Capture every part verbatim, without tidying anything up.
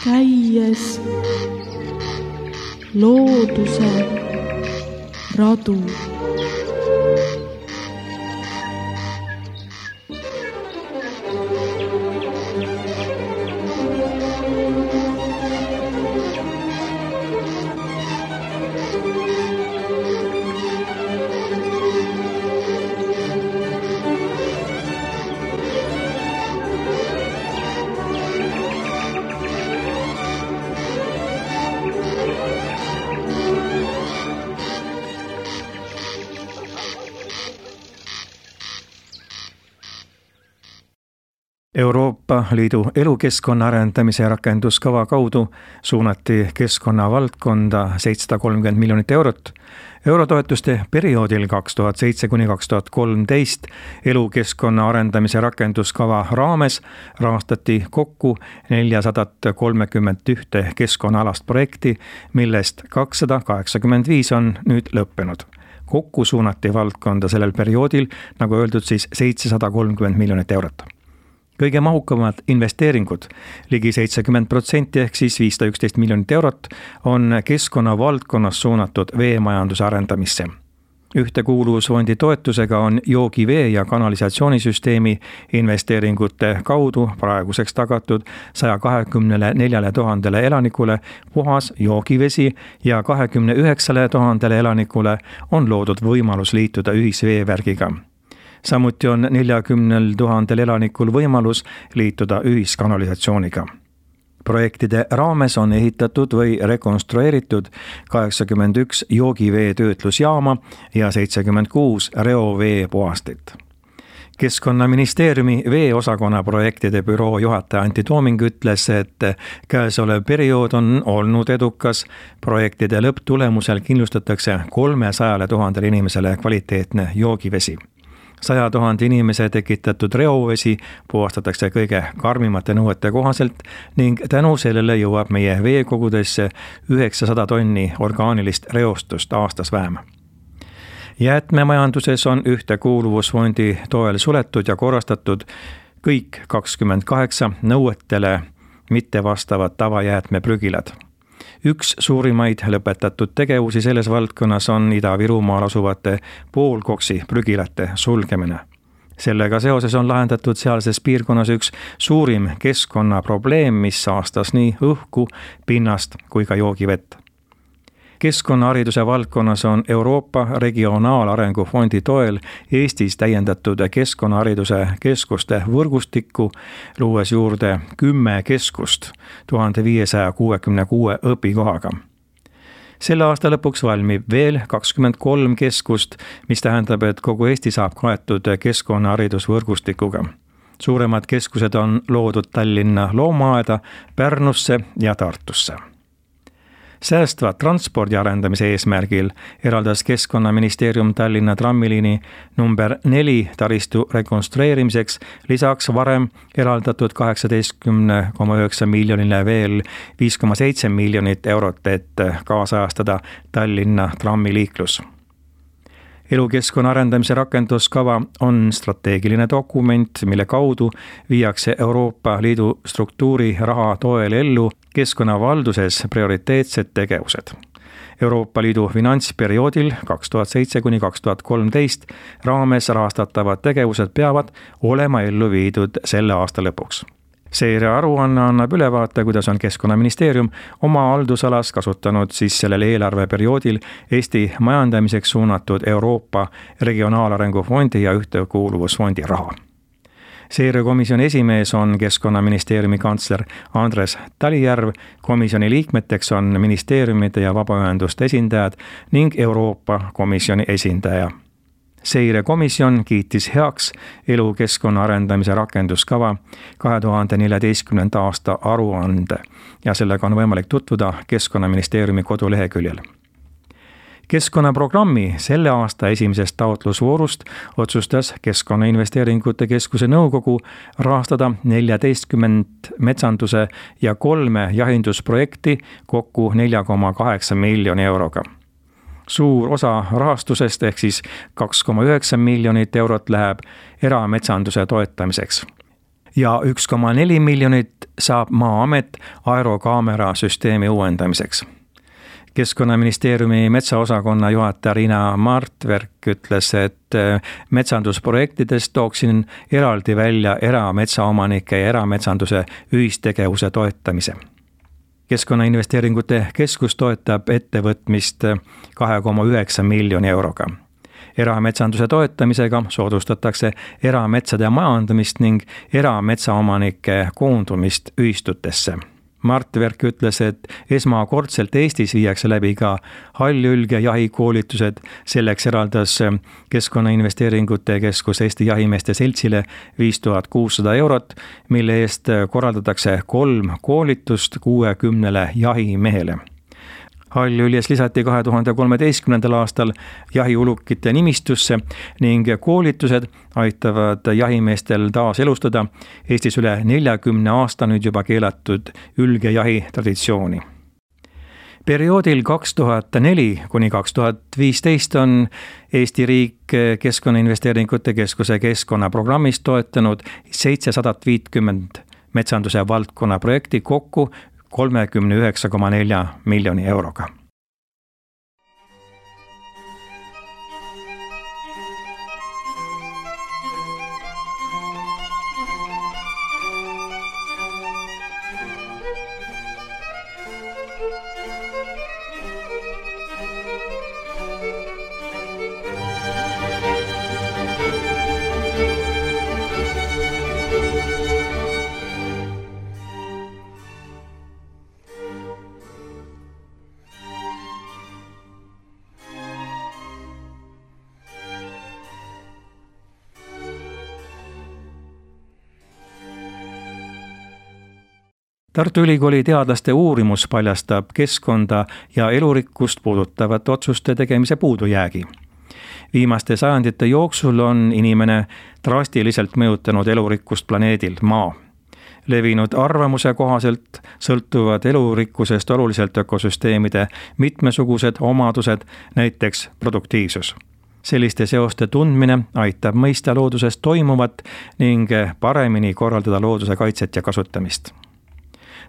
käies looduse radu. Euroopa Liidu elukeskkonna arendamise rakenduskava kaudu suunati keskkonna valdkonda seitsesada kolmkümmend miljonit eurot. Eurotoetuste perioodil kaks tuhat seitse kuni kaks tuhat kolmteist elukeskkonna arendamise rakenduskava raames rahastati kokku neljasada kolmkümmend üks keskkonnaalast projekti, millest kakssada kaheksakümmend viis on nüüd lõppenud. Kokku suunati valdkonda sellel perioodil, nagu öeldud, siis seitsesada kolmkümmend miljonit eurot. Kõige mahukamad investeeringud, ligi seitsekümmend protsenti ehk siis viissada üksteist miljonit eurot, on keskkonna valdkonnas suunatud veemajanduse arendamisse. Ühtekuuluvusfondi toetusega on joogivee ja kanalisatsioonisüsteemi investeeringute kaudu praeguseks tagatud saja kahekümne neljale tuhandele elanikule puhas joogivesi ja kahekümne üheksale tuhandele elanikule on loodud võimalus liituda ühisveevärgiga. Samuti on neljakümnel tuhandel elanikul võimalus liituda ühiskanalisatsiooniga. Projektide raames on ehitatud või rekonstrueeritud kaheksakümmend üks joogivee töötlusjaama ja seitsekümmend kuus reovee puhastit. Keskkonnaministeeriumi veeosakonna projektide büroo juhataja Antti Tooming ütles, et käesolev periood on olnud edukas. Projektide lõpptulemusel kindlustatakse kolmesajale tuhandele inimesele kvaliteetne joogivesi. Saja tuhande inimese tekitatud reovesi puhastatakse kõige karmimate nõuete kohaselt ning tänu sellele jõuab meie veekogudesse üheksasada tonni orgaanilist reostust aastas vähem. Jäätmemajanduses on Ühtekuuluvusfondi toel suletud ja korrastatud kõik kakskümmend kaheksa nõuetele mitte vastavad tavajäätmeprügilad. Üks suurimaid lõpetatud tegevusi selles valdkonnas on Ida-Virumaal asuvate poolkoksi prügilate sulgemine. Sellega seoses on lahendatud sealses piirkonnas üks suurim keskkonnaprobleem, mis saastas nii õhku, pinnast kui ka joogivett. Keskkonnahariduse valdkonnas on Euroopa Regionaalarengu Fondi toel Eestis täiendatud keskkonnahariduse keskuste võrgustikku, luues juurde kümme keskust tuhat viissada kuuekümne kuue õpikohaga. Selle aasta lõpuks valmib veel kakskümmend kolm keskust, mis tähendab, et kogu Eesti saab kaetud keskkonnaharidusvõrgustikuga. Suuremad keskused on loodud Tallinna Loomaaeda, Pärnusse ja Tartusse. Säästva transpordi arendamise eesmärgil eraldas Keskkonnaministeerium Tallinna trammiliini number neli taristu rekonstrueerimiseks lisaks varem eraldatud kaheksateist koma üheksa miljonile veel viis koma seitse miljonit eurot, et kaasajastada Tallinna trammiliiklus. Elukeskkonna arendamise rakenduskava on strateegiline dokument, mille kaudu viiakse Euroopa Liidu struktuuri raha toel ellu keskkonnavalduses prioriteetsed tegevused. Euroopa Liidu finantsperioodil kaks tuhat seitse kuni kaks tuhat kolmteist raames rahastatavad tegevused peavad olema ellu viidud selle aasta lõpuks. Seire aruanne annab ülevaate, kuidas on Keskkonnaministeerium oma haldusalas kasutanud siis sellel eelarveperioodil Eesti majandamiseks suunatud Euroopa Regionaalarengu Fondi ja Ühtekuuluvusfondi raha. Seirekomisjoni esimees on Keskkonnaministeeriumi kantsler Andres Talijärv, komisjoni liikmeteks on ministeeriumide ja vabaühenduste esindajad ning Euroopa Komisjoni esindaja. Seirekomisjon kiitis heaks elukeskkonna arendamise rakenduskava kahe tuhande neljateistkümnenda aasta aruande ja sellega on võimalik tutvuda Keskkonnaministeeriumi koduleheküljel. Keskkonnaprogrammi selle aasta esimesest taotlusvoorust otsustas Keskkonnainvesteeringute Keskuse nõukogu rahastada neljateistkümmend metsanduse ja kolme jahindusprojekti kokku nelja koma kaheksa miljoni euroga. Suur osa rahastusest ehk siis kaks koma üheksa miljonit eurot läheb erametsanduse toetamiseks. ja üks koma neli miljonit saab Maa-amet aerokaamera süsteemi uuendamiseks. Keskkonnaministeeriumi metsaosakonna juhataja Riina Martverk ütles, et metsandusprojektidest tooksin eraldi välja erametsaomanike ja erametsanduse ühistegevuse toetamise. Keskkonnainvesteeringute keskus toetab ettevõtmist kahe koma üheksa miljoni euroga. Erametsanduse toetamisega soodustatakse erametsade majandamist ning erametsaomanike koondumist ühistutesse. Martverk ütles, et esmakordselt Eestis viiakse läbi ka hallülge jahikoolitused. Selleks eraldas Keskkonnainvesteeringute keskus Eesti Jahimeeste Seltsile viis tuhat kuussada eurot, mille eest korraldatakse kolm koolitust kuuekümnele jahimehele. Hallüljes lisati kahe tuhande kolmeteistkümnendal aastal jahiulukite nimistusse ning koolitused aitavad jahimeestel taas elustada Eestis üle neljakümne aasta nüüd juba keelatud ülgejahi traditsiooni. Perioodil kaks tuhat neli kuni kaks tuhat viisteist on Eesti riik Keskkonnainvesteeringute keskuse keskkonnaprogrammist toetanud seitsesada viiskümmend metsanduse valdkonna projekti kokku kolmekümne üheksa koma neli miljoni euroga. Tartu Ülikooli teadlaste uurimus paljastab keskkonda ja elurikkust puudutavat otsuste tegemise puudujäägi. Viimaste sajandite jooksul on inimene drastiliselt mõjutanud elurikkust planeedil Maa. Levinud arvamuse kohaselt sõltuvad elurikkusest oluliselt ökosüsteemide mitmesugused omadused, näiteks produktiivsus. Selliste seoste tundmine aitab mõista looduses toimuvat ning paremini korraldada looduse kaitset ja kasutamist.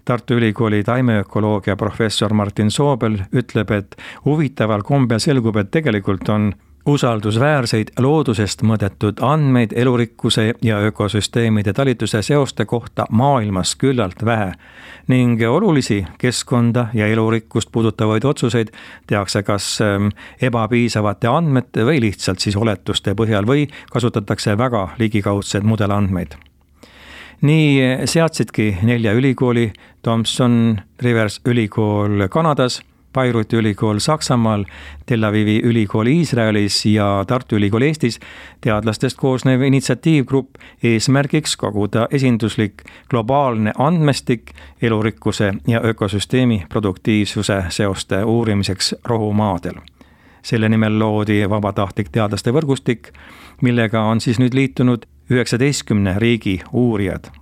Tartu Ülikooli taimeökoloogia professor Martin Soobel ütleb, et huvitaval kombel selgub, et tegelikult on usaldusväärseid loodusest mõõdetud andmeid elurikkuse ja ökosüsteemide talituse seoste kohta maailmas küllalt vähe ning olulisi keskkonda ja elurikkust puudutavaid otsuseid tehakse kas ebapiisavate andmete või lihtsalt siis oletuste põhjal või kasutatakse väga ligikaudseid mudelandmeid. Nii seadsidki nelja ülikooli, Thomson Rivers ülikool Kanadas, Beiruti ülikool Saksamaal, Tel Avivi ülikool Iisraelis ja Tartu ülikool Eestis teadlastest koosnev initsiatiivgrupp eesmärgiks koguda esinduslik globaalne andmestik elurikkuse ja ökosüsteemi produktiivsuse seoste uurimiseks rohumaadel. Selle nimel loodi vabatahtlik teadlaste võrgustik, millega on siis nüüd liitunud üheksateistkümne riigi uurijad.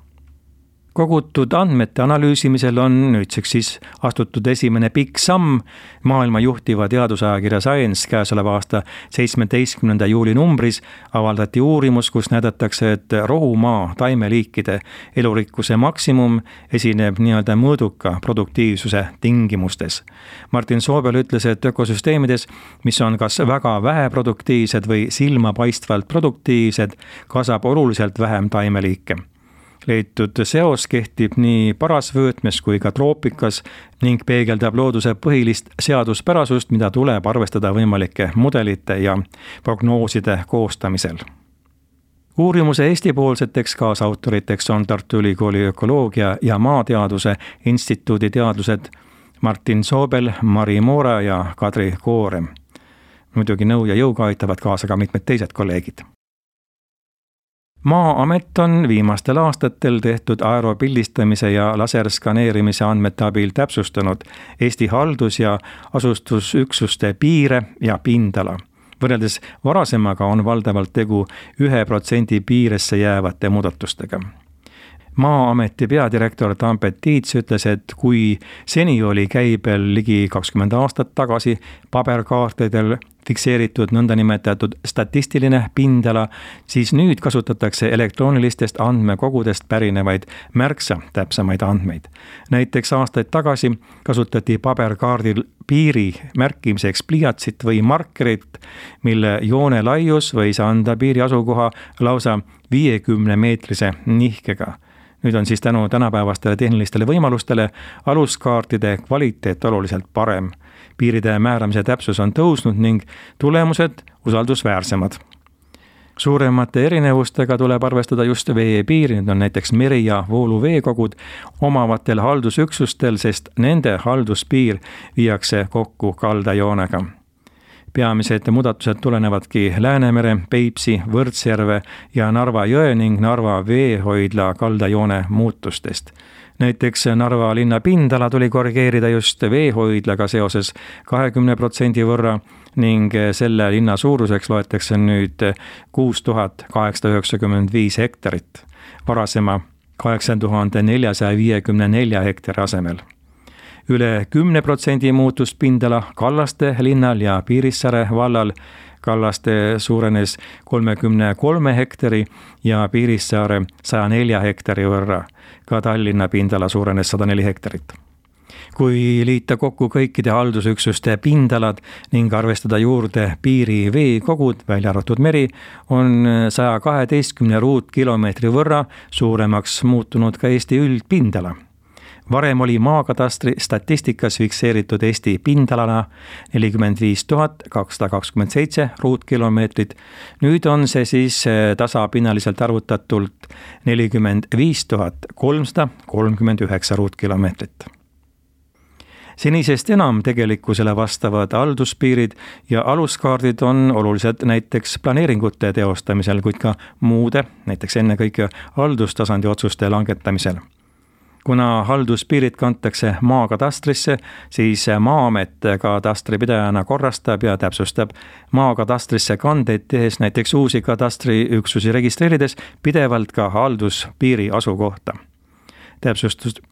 Kogutud andmete analüüsimisel on nüüdseks siis astutud esimene pikk samm. Maailma juhtiva teadusajakirja Science käesoleva aasta seitsmeteistkümnenda juuli numbris avaldati uurimus, kus näidatakse, et rohumaa taimeliikide elurikkuse maksimum esineb nii-öelda mõõduka produktiivsuse tingimustes. Martin Soobel ütles, et ökosüsteemides, mis on kas väga vähe produktiivsed või silmapaistvalt produktiivsed, kasvab oluliselt vähem taimeliike. Leitud seos kehtib nii parasvöötmes kui ka troopikas ning peegeldab looduse põhilist seaduspärasust, mida tuleb arvestada võimalike mudelite ja prognooside koostamisel. Uurimuse Eesti-poolseteks kaasautoriteks on Tartu Ülikooli ökoloogia ja maateaduse instituudi teadlased Martin Soobel, Mari Moora ja Kadri Koorem. Muidugi nõu ja jõuga aitavad kaasa ka mitmed teised kolleegid. Maa-amet on viimastel aastatel tehtud aeropildistamise ja laserskaneerimise andmete abil täpsustanud Eesti haldus- ja asustusüksuste piire ja pindala. Võrreldes varasemaga on valdavalt tegu ühe protsendi piiresse jäävate muudatustega. Maa-ameti peadirektor Tambet Tiits ütles, et kui seni oli käibel ligi kakskümmend aastat tagasi paberkaartidel fikseeritud nõndanimetatud statistiline pindala, siis nüüd kasutatakse elektroonilistest andmekogudest pärinevaid märksa täpsemaid andmeid. Näiteks aastaid tagasi kasutati paberkaardil piiri märkimiseks pliiatsit või markerit, mille joone laius võis anda piiri asukoha lausa viiekümne meetrise nihkega. Nüüd on siis tänu tänapäevastele tehnilistele võimalustele aluskaartide kvaliteet oluliselt parem. Piiride määramise täpsus on tõusnud ning tulemused usaldusväärsemad. Suuremate erinevustega tuleb arvestada just veepiiri, need on näiteks meri- ja vooluveekogud omavatel haldusüksustel, sest nende halduspiir viiakse kokku kaldajoonega. Peamised muudatused tulenevadki Läänemere, Peipsi, Võrtsjärve ja Narva jõe ning Narva veehoidla kaldajoone muutustest. Näiteks Narva linna pindala tuli korrigeerida just veehoidlaga seoses kahekümne protsendi võrra ning selle linna suuruseks loetakse nüüd kuus tuhat kaheksasada üheksakümmend viis hektarit, varasema kaheksa tuhat neljasada viiekümne nelja hektari asemel. Üle kümne protsendi muutus pindala Kallaste linnal ja Piirissaare vallal. Kallaste suurenes kolmekümne kolme hektari ja Piirissaare saja nelja hektari võrra. Ka Tallinna pindala suurenes sada neli hektarit. Kui liita kokku kõikide haldusüksuste pindalad ning arvestada juurde piiri veekogud, välja arvatud meri, on saja kaheteistkümne ruutkilomeetri võrra suuremaks muutunud ka Eesti üldpindala. Varem oli maakatastri statistikas fikseeritud Eesti pindalana nelikümmend viis tuhat kakssada kakskümmend seitse ruutkilomeetrit. Nüüd on see siis tasapinnaliselt arvutatult nelikümmend viis tuhat kolmsada kolmkümmend üheksa ruutkilomeetrit. Senisest enam tegelikkusele vastavad halduspiirid ja aluskaardid on olulised näiteks planeeringute teostamisel, kuid ka muude, näiteks ennekõike haldustasandi otsuste langetamisel. Kuna halduspiirid kantakse maakatastrisse, siis Maa-amet katastripidajana korrastab ja täpsustab maakatastrisse kandeid tehes näiteks uusi katastriüksusi registreerides pidevalt ka halduspiiri asukohta. Täpsustus,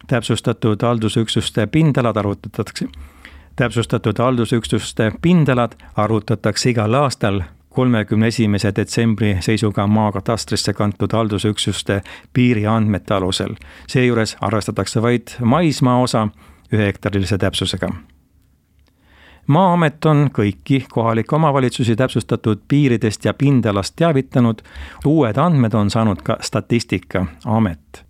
täpsustatud haldusüksuste pindalad arvutatakse, täpsustatud haldusüksuste pindalad arvutatakse igal aastal kolmekümne esimese detsembri seisuga maakatastrisse kantud haldusüksuste piiriandmete alusel. Seejuures arvestatakse vaid maismaa osa ühe hektarilise täpsusega. Maa-amet on kõiki kohalikke omavalitsusi täpsustatud piiridest ja pindalast teavitanud. Uued andmed on saanud ka Statistikaamet.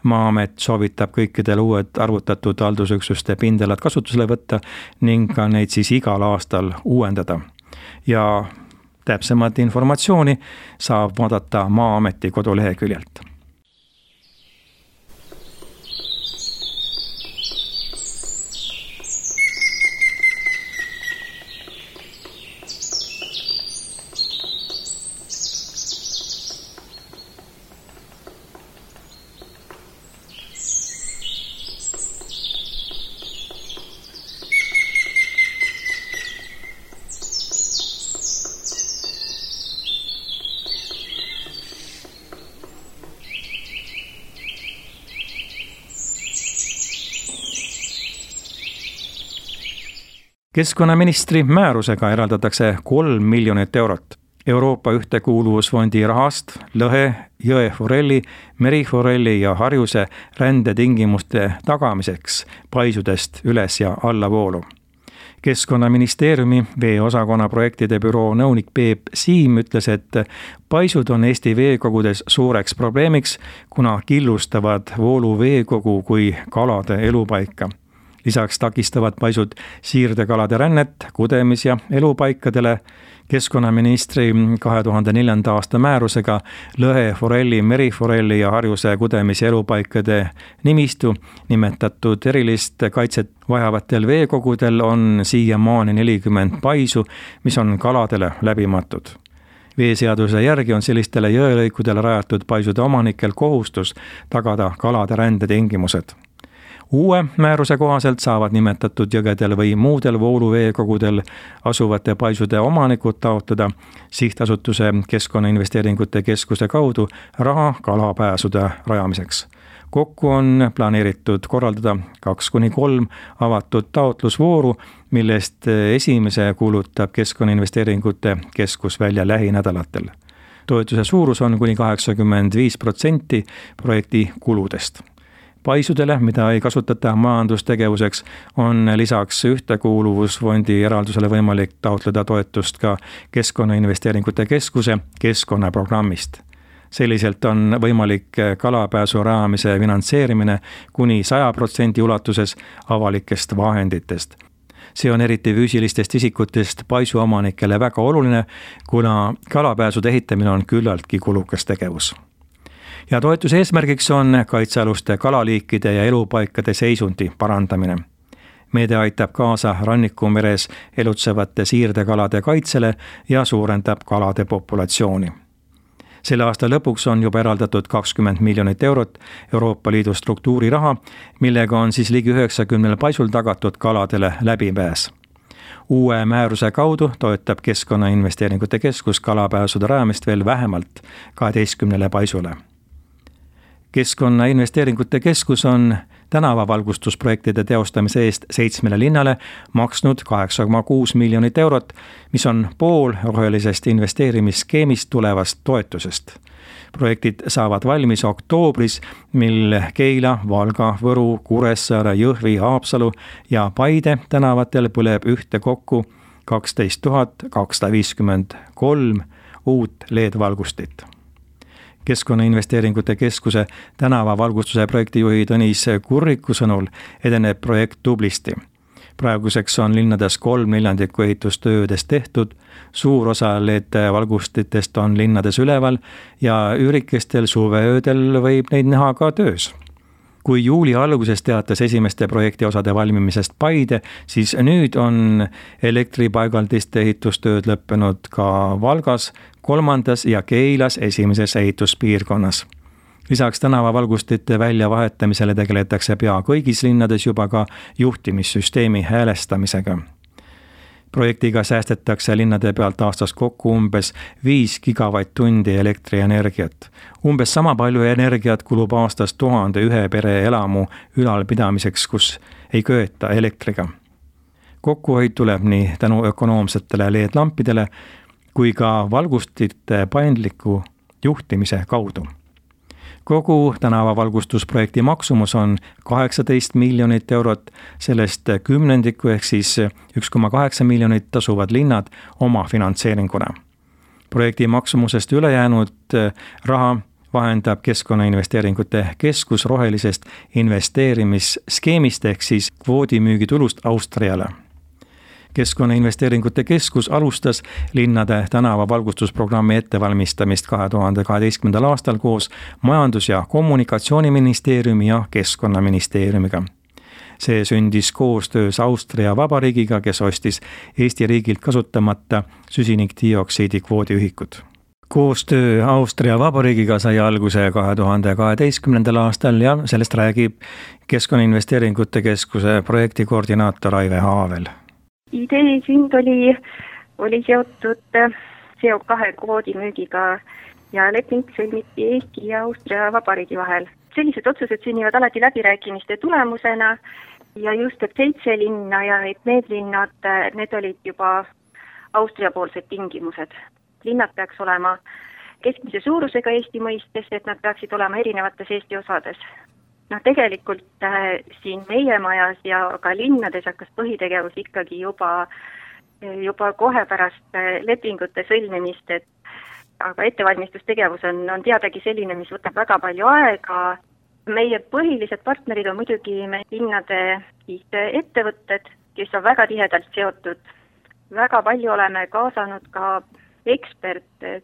Maa-amet soovitab kõikidel uued arvutatud haldusüksuste pindalad kasutusele võtta ning ka neid siis igal aastal uuendada. Ja täpsemat informatsiooni saab vaadata Maa-ameti koduleheküljelt. Keskkonnaministri määrusega eraldatakse kolm miljonit eurot. Euroopa ühtekuuluvusfondi rahast lõhe, jõe forelli, meriforelli ja harjuse rändetingimuste tagamiseks paisudest üles ja allavoolu. Keskkonnaministeeriumi veeosakonna projektide büroo nõunik Peep Siim ütles, et paisud on Eesti veekogudes suureks probleemiks, kuna killustavad vooluveekogu kui kalade elupaika. Lisaks takistavad paisud siirdekalade rännet kudemis- ja elupaikadele. Keskkonnaministri kahe tuhande neljanda aasta määrusega lõhe, forelli, meriforelli ja harjuse kudemis- ja elupaikade nimistu nimetatud erilist kaitset vajavatel veekogudel on siiamaani nelikümmend paisu, mis on kaladele läbimatud. Veeseaduse järgi on sellistele jõelõikudele rajatud paisude omanikel kohustus tagada kalade rändetingimused. Uue määruse kohaselt saavad nimetatud jõgedel või muudel vooluveekogudel asuvate paisude omanikud taotleda sihtasutuse Keskkonnainvesteeringute Keskuse kaudu raha kalapääsude rajamiseks. Kokku on planeeritud korraldada kaks kuni kolm avatud taotlusvooru, millest esimese kuulutab Keskkonnainvesteeringute Keskus välja lähinädalatel. Toetuse suurus on kuni kaheksakümmend viis protsenti projekti kuludest. Paisudele, mida ei kasutata majandustegevuseks, on lisaks Ühtekuuluvusfondi eraldusele võimalik taotleda toetust ka Keskkonnainvesteeringute Keskuse keskkonnaprogrammist. Selliselt on võimalik kalapääsu rajamise finantseerimine kuni saja protsendi ulatuses avalikest vahenditest. See on eriti füüsilistest isikutest paisuomanikele väga oluline, kuna kalapääsude ehitamine on küllaltki kulukas tegevus. Ja toetuse eesmärgiks on kaitsealuste kalaliikide ja elupaikade seisundi parandamine. Meede aitab kaasa rannikumeres elutsevate siirdekalade kaitsele ja suurendab kalade populatsiooni. Selle aasta lõpuks on juba eraldatud kakskümmend miljonit eurot Euroopa Liidu struktuuriraha, millega on siis ligi üheksakümnel paisul tagatud kaladele läbipääs. Uue määruse kaudu toetab Keskkonnainvesteeringute Keskus kalapääsude rajamist veel vähemalt kaheteistkümnele paisule. Keskkonnainvesteeringute Keskus on tänavavalgustusprojektide teostamise eest seitsmele linnale maksnud kaheksa koma kuus miljonit eurot, mis on pool rohelisest investeerimisskeemist tulevast toetusest. Projektid saavad valmis oktoobris, mil Keila, Valga, Võru, Kuressaare, Jõhvi, Haapsalu ja Paide tänavatel põleb ühte kokku kaksteist tuhat kakssada viiskümmend kolm uut L E D-valgustit. Keskkonnainvesteeringute Keskuse tänavavalgustuse projektijuhi Tõnis Kurriku sõnul edeneb projekt tublisti. Praeguseks on linnades kolm neljandikku ehitustöödest tehtud, suur osa L E D-valgustitest on linnades üleval ja üürikestel suveöödel võib neid näha ka töös. Kui juuli alguses teatas esimeste projekti osade valmimisest Paide, siis nüüd on elektripaigaldiste ehitustööd lõppenud ka Valgas, kolmandas ja Keilas esimeses ehituspiirkonnas. Lisaks tänavavalgustite väljavahetamisele tegeletakse pea kõigis linnades juba ka juhtimissüsteemi häälestamisega. Projektiga säästetakse linnade pealt aastas kokku umbes viis gigavatt-tundi elektrienergiat. Umbes sama palju energiat kulub aastas tuhande ühe pere elamu ülalpidamiseks, kus ei köeta elektriga. Kokkuhoid tuleb nii tänu ökonoomsetele L E D-lampidele kui ka valgustite paindliku juhtimise kaudu. Kogu tänavavalgustusprojekti maksumus on kaheksateist miljonit eurot, sellest kümnendiku ehk siis üks koma kaheksa miljonit tasuvad linnad oma finantseeringuna. Projekti maksumusest ülejäänud raha vahendab Keskkonnainvesteeringute Keskus rohelisest investeerimisskeemist ehk siis kvoodimüügitulust Austriale. Keskkonnainvesteeringute Keskus alustas linnade tänavavalgustusprogrammi ettevalmistamist kahe tuhande kaheteistkümnendal aastal koos Majandus- ja Kommunikatsiooniministeeriumi ja Keskkonnaministeeriumiga. See sündis koostöös Austria Vabariigiga, kes ostis Eesti riigilt kasutamata süsinikdioksiidi kvoodiühikud. Koostöö Austria Vabariigiga sai alguse kahe tuhande kaheteistkümnendal aastal ja sellest räägib Keskkonnainvesteeringute Keskuse projektikoordinaator Aive Haavel. Idee sünd oli, oli seotud C O kahe kvoodi müügiga ja leping sõlmiti Eesti ja Austria Vabariigi vahel. Sellised otsused sünnivad alati läbirääkimiste tulemusena ja just et seitse linna ja et need linnad, need olid juba Austria-poolsed tingimused. Linnad peaks olema keskmise suurusega Eesti mõistes, et nad peaksid olema erinevates Eesti osades. No tegelikult äh, siin meie majas ja ka linnades hakkas põhitegevus ikkagi juba, juba kohe pärast äh, lepingute sõlmimist, et aga ettevalmistustegevus on, on teadagi selline, mis võtab väga palju aega. Meie põhilised partnerid on muidugi meie linnade ettevõtted, kes on väga tihedalt seotud. Väga palju oleme kaasanud ka eksperte,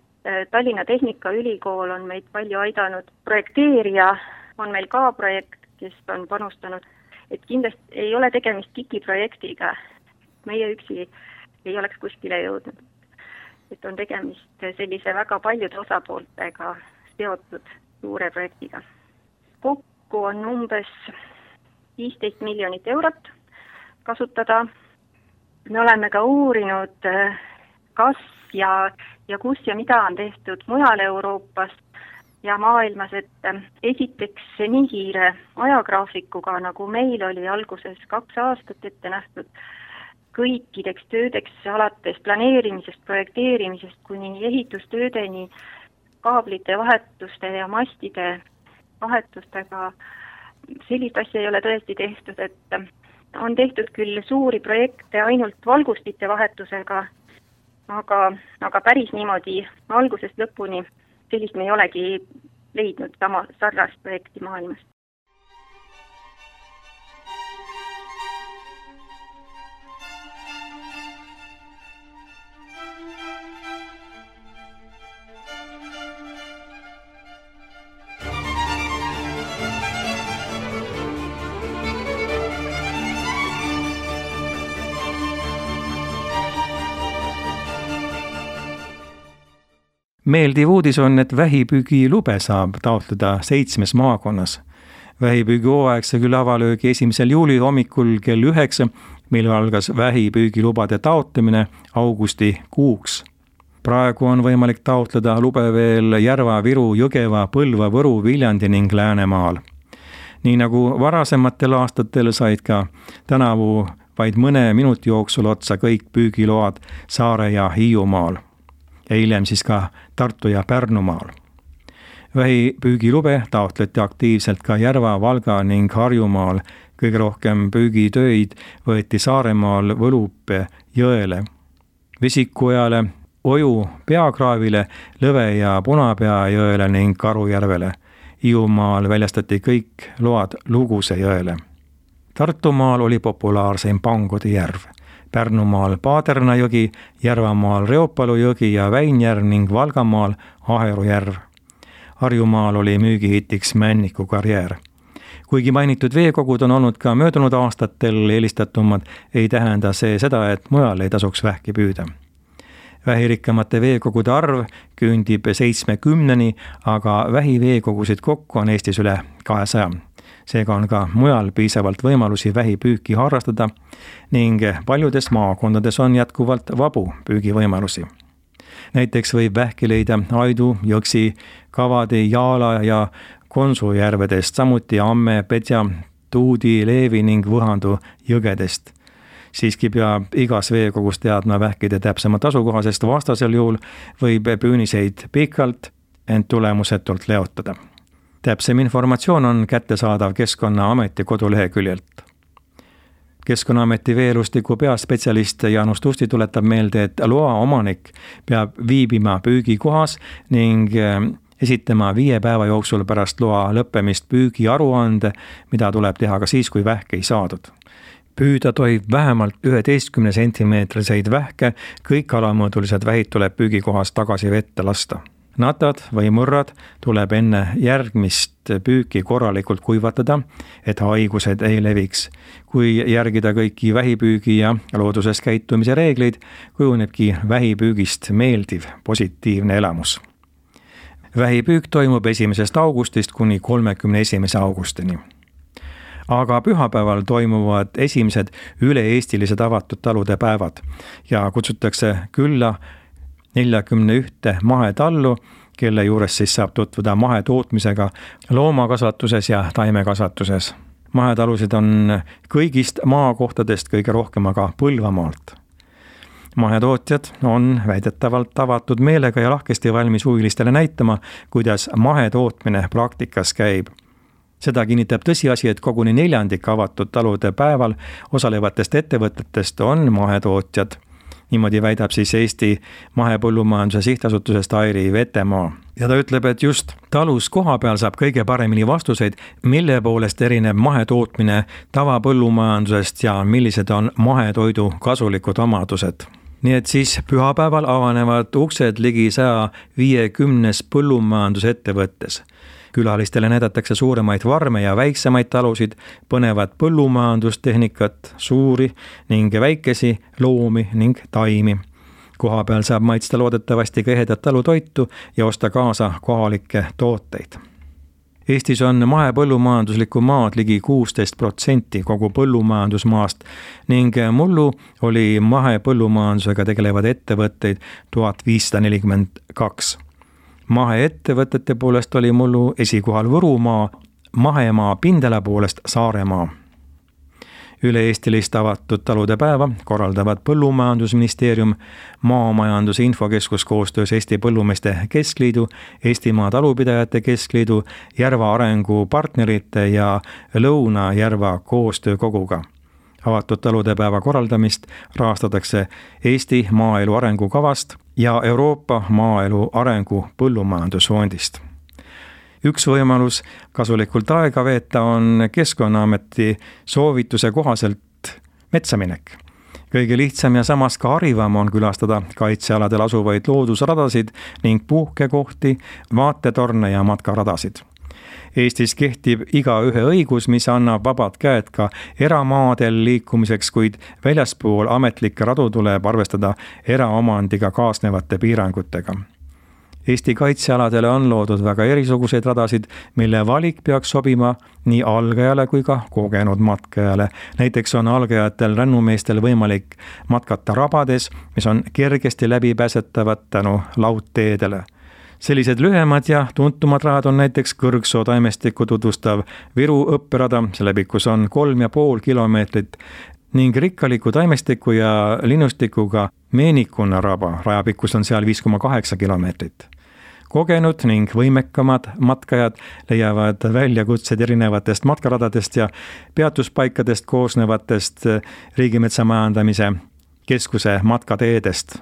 Tallinna Tehnikaülikool on meid palju aidanud, projekteerija on meil ka projekt, kes on panustanud, et kindlasti ei ole tegemist kikiprojektiga. Meie üksi ei oleks kuskile jõudnud. Et on tegemist sellise väga paljude osapooltega seotud suure projektiga. Kokku on umbes viisteist miljonit eurot kasutada. Me oleme ka uurinud, kas ja, ja kus ja mida on tehtud mujal Euroopas. ja maailmas, et esiteks nii kiire ajagraafikuga, nagu meil oli alguses kaks aastat ette nähtud, kõikideks töödeks alates planeerimisest, projekteerimisest kuni ehitustöödeni, kaablite vahetuste ja mastide vahetustega, sellist asja ei ole tõesti tehtud, et on tehtud küll suuri projekte ainult valgustite vahetusega, aga, aga päris niimoodi algusest lõpuni sellist me ei olegi leidnud sama sarnast projekti maailmas. Meeldiv uudis on, et vähipüügilube saab taotleda seitsmes maakonnas. Vähipüügihooaeg sai küll avalöögi esimesel juuli hommikul kell üheksa, mil algas vähipüügilubade taotlemine augusti kuuks. Praegu on võimalik taotleda lube veel Järva, Viru, Jõgeva, Põlva, Võru, Viljandi ning Läänemaal. Nii nagu varasematel aastatel said ka tänavu vaid mõne minuti jooksul otsa kõik püügiload Saare ja Hiiumaal. Ja hiljem siis ka Tartu ja Pärnumaal. Vähipüügilube taotleti aktiivselt ka Järva, Valga ning Harjumaal. Kõige rohkem püügitöid võeti Saaremaal Võlupe jõele, Vesikujale, Oju peakraavile, Lõve ja Punapea jõele ning Karujärvele. Hiiumaal väljastati kõik load Luguse jõele. Tartumaal oli populaarseim Pangode järv. Pärnumaal Paaderna jõgi, Järvamaal Reopalu jõgi ja Väinjärv ning Valgamaal Aheru järv. Harjumaal oli müügihitiks Männiku karjäär. Kuigi mainitud veekogud on olnud ka möödunud aastatel eelistatumad, ei tähenda see seda, et mujal ei tasuks vähki püüda. Vähirikkamate veekogude arv küündib seitsmekümneni, aga vähiveekogusid kokku on Eestis üle kahesaja. Seega on ka mujal piisavalt võimalusi vähipüüki harrastada ning paljudes maakondades on jätkuvalt vabu püügivõimalusi. Näiteks võib vähki leida Aidu, Jõksi, Kavadi, Jaala ja Konsu järvedest, samuti Amme, Petja, Tuudi, Leevi ning Võhandu jõgedest. Siiski peab igas veekogus teadma vähkide täpsemat asukoha, sest vastasel juhul võib püüniseid pikalt, ent tulemusetult leotada. Täpsem informatsioon on kättesaadav Keskkonnaameti koduleheküljelt. Keskkonnaameti veelustiku peaspetsialist Jaanus Tusti tuletab meelde, et loa omanik peab viibima püügikohas ning esitama viie päeva jooksul pärast loa lõppemist püügiaruande, mida tuleb teha ka siis, kui vähke ei saadud. Püüda tohib vähemalt üheteistkümne sentimeetriseid vähke, kõik alamõõdulised vähid tuleb püügikohas tagasi vette lasta. Natad või mõrrad tuleb enne järgmist püüki korralikult kuivatada, et haigused ei leviks. Kui järgida kõiki vähipüügi ja looduses käitumise reegleid, kujunebki vähipüügist meeldiv, positiivne elamus. Vähipüük toimub esimesest augustist kuni kolmekümne esimese augustini. Aga pühapäeval toimuvad esimesed üle-eestilised avatud talude päevad ja kutsutakse külla neljakümne ühte mahetallu, kelle juures siis saab tutvuda mahetootmisega loomakasvatuses ja taimekasvatuses. Mahetalusid on kõigist maakohtadest kõige rohkem aga Põlvamaalt. Mahetootjad on väidetavalt avatud meelega ja lahkesti valmis huvilistele näitama, kuidas mahetootmine praktikas käib. Seda kinnitab tõsiasi, et koguni neljandik avatud talude päeval osalevatest ettevõtetest on mahetootjad. Niimoodi väidab siis Eesti mahepõllumajanduse sihtasutusest Airi Vetemaa. Ja ta ütleb, et just talus koha peal saab kõige paremini vastuseid, mille poolest erineb mahetootmine tavapõllumajandusest ja millised on mahetoidu kasulikud omadused. Nii et siis pühapäeval avanevad uksed ligi saja viiekümnes põllumajandusettevõttes. Külalistele näidatakse suuremaid varme ja väiksemaid talusid, põnevad põllumajandustehnikat, suuri ning väikesi loomi ning taimi. Koha peal saab maitsta loodetavasti ka ehedat talutoitu ja osta kaasa kohalikke tooteid. Eestis on mahepõllumajanduslikku maad ligi kuusteist protsenti kogu põllumajandusmaast ning mullu oli mahepõllumajandusega tegelevad ettevõtteid tuhat viissada nelikümmend kaks. Maheettevõtete poolest oli mullu esikohal Võrumaa, mahemaa pindala poolest Saaremaa. Üle-eestilist avatud talude päeva korraldavad Põllumajandusministeerium, Maamajanduse Infokeskus koostöös Eesti Põllumeeste Keskliidu, Eestimaa Talupidajate Keskliidu, Järva Arengu partnerite ja Lõuna-Järva koostöökoguga. Avatud talude päeva korraldamist rahastatakse Eesti maaelu arengukavast ja Euroopa maaelu arengu põllumajandusfondist. Üks võimalus kasulikult aega veeta on Keskkonnaameti soovituse kohaselt metsaminek. Kõige lihtsam ja samas ka harivam on külastada kaitsealadel asuvaid loodusradasid ning puhkekohti, vaatetorne ja matkaradasid. Eestis kehtib igaühe õigus, mis annab vabad käed ka eramaadel liikumiseks, kuid väljaspool ametlikke radu tuleb arvestada eraomandiga kaasnevate piirangutega. Eesti kaitsealadele on loodud väga erisuguseid radasid, mille valik peaks sobima nii algajale kui ka kogenud matkajale. Näiteks on algajatel rännumeestel võimalik matkata rabades, mis on kergesti läbipääsetavad tänu laudteedele. Sellised lühemad ja tuntumad rajad on näiteks Kõrgsoo taimestikku tutvustav Viru õpperada, selle pikkus on kolm ja pool kilomeetrit, ning rikkaliku taimestiku ja linnustikuga Meenikuna raba, rajapikkus on seal viis koma kaheksa kilomeetrit. Kogenud ning võimekamad matkajad leiavad väljakutsed erinevatest matkaradadest ja peatuspaikadest koosnevatest Riigimetsa Majandamise Keskuse matkateedest.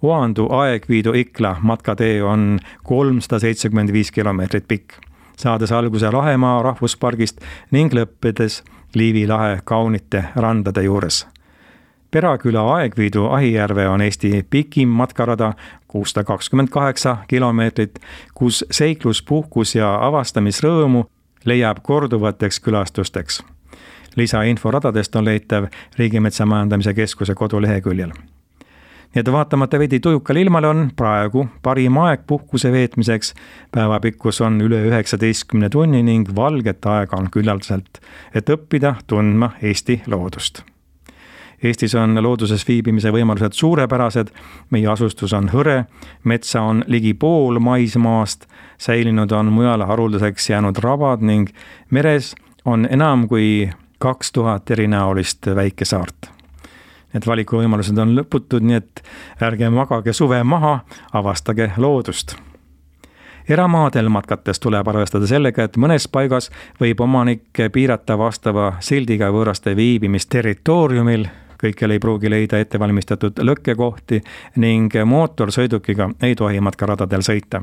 Oandu Aegviidu Ikla matkatee on kolmsada seitsekümmend viis kilomeetrit pikk, saades alguse Lahemaa rahvuspargist ning lõppedes Liivi lahe kaunite randade juures. Peraküla Aegviidu Ahijärve on Eesti pikim matkarada, kuussada kakskümmend kaheksa kilomeetrit, kus seiklus, puhkus ja avastamisrõõmu leiab korduvateks külastusteks. Lisainfo radadest on leitav Riigimetsa Majandamise Keskuse koduleheküljel. Nii et vaatamata veidi tujukal ilmale on praegu parim aeg puhkuse veetmiseks. Päevapikkus on üle üheksateistkümne tunni ning valget aega on küllaldaselt, et õppida tundma Eesti loodust. Eestis on looduses viibimise võimalused suurepärased, meie asustus on hõre, metsa on ligi pool maismaast, säilinud on mujal haruldaseks jäänud rabad ning meres on enam kui kaks tuhat erinäolist väikesaart. Need valikuvõimalused on lõputud, nii et ärge magage suve maha, avastage loodust. Eramaadel matkates tuleb arvestada sellega, et mõnes paigas võib omanik piirata vastava sildiga võõraste viibimist territooriumil, kõikjal ei pruugi leida ettevalmistatud lõkkekohti ning mootorsõidukiga ei tohi matkaradadel sõita.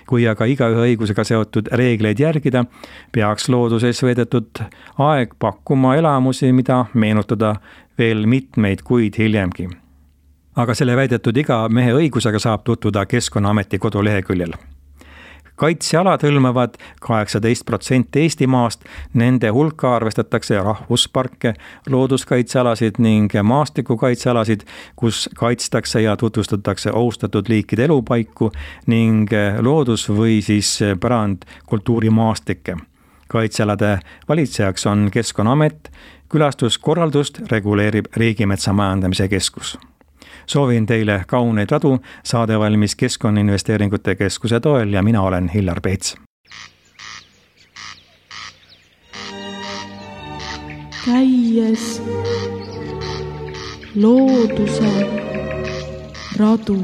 Kui aga igaühe õigusega seotud reegleid järgida, peaks looduses veedetud aeg pakkuma elamusi, mida meenutada veel mitmeid kuid hiljemgi. Aga selle väidetud iga mehe õigusega saab tutvuda Keskkonnaameti koduleheküljel. Kaitsealad hõlmavad kaheksateist protsenti Eestimaast, nende hulka arvestatakse rahvusparke, looduskaitsealasid ning maastikukaitsealasid, kus kaitstakse ja tutvustatakse ohustatud liikide elupaiku ning loodus- või siis pärand kultuurimaastikke. Kaitsealade valitsejaks on Keskkonnaamet, külastuskorraldust reguleerib Riigimetsa Majandamise Keskus. Soovin teile kauneid radu, saade valmis Keskkonnainvesteeringute Keskuse toel ja mina olen Hillar Peets. Käies looduse radu.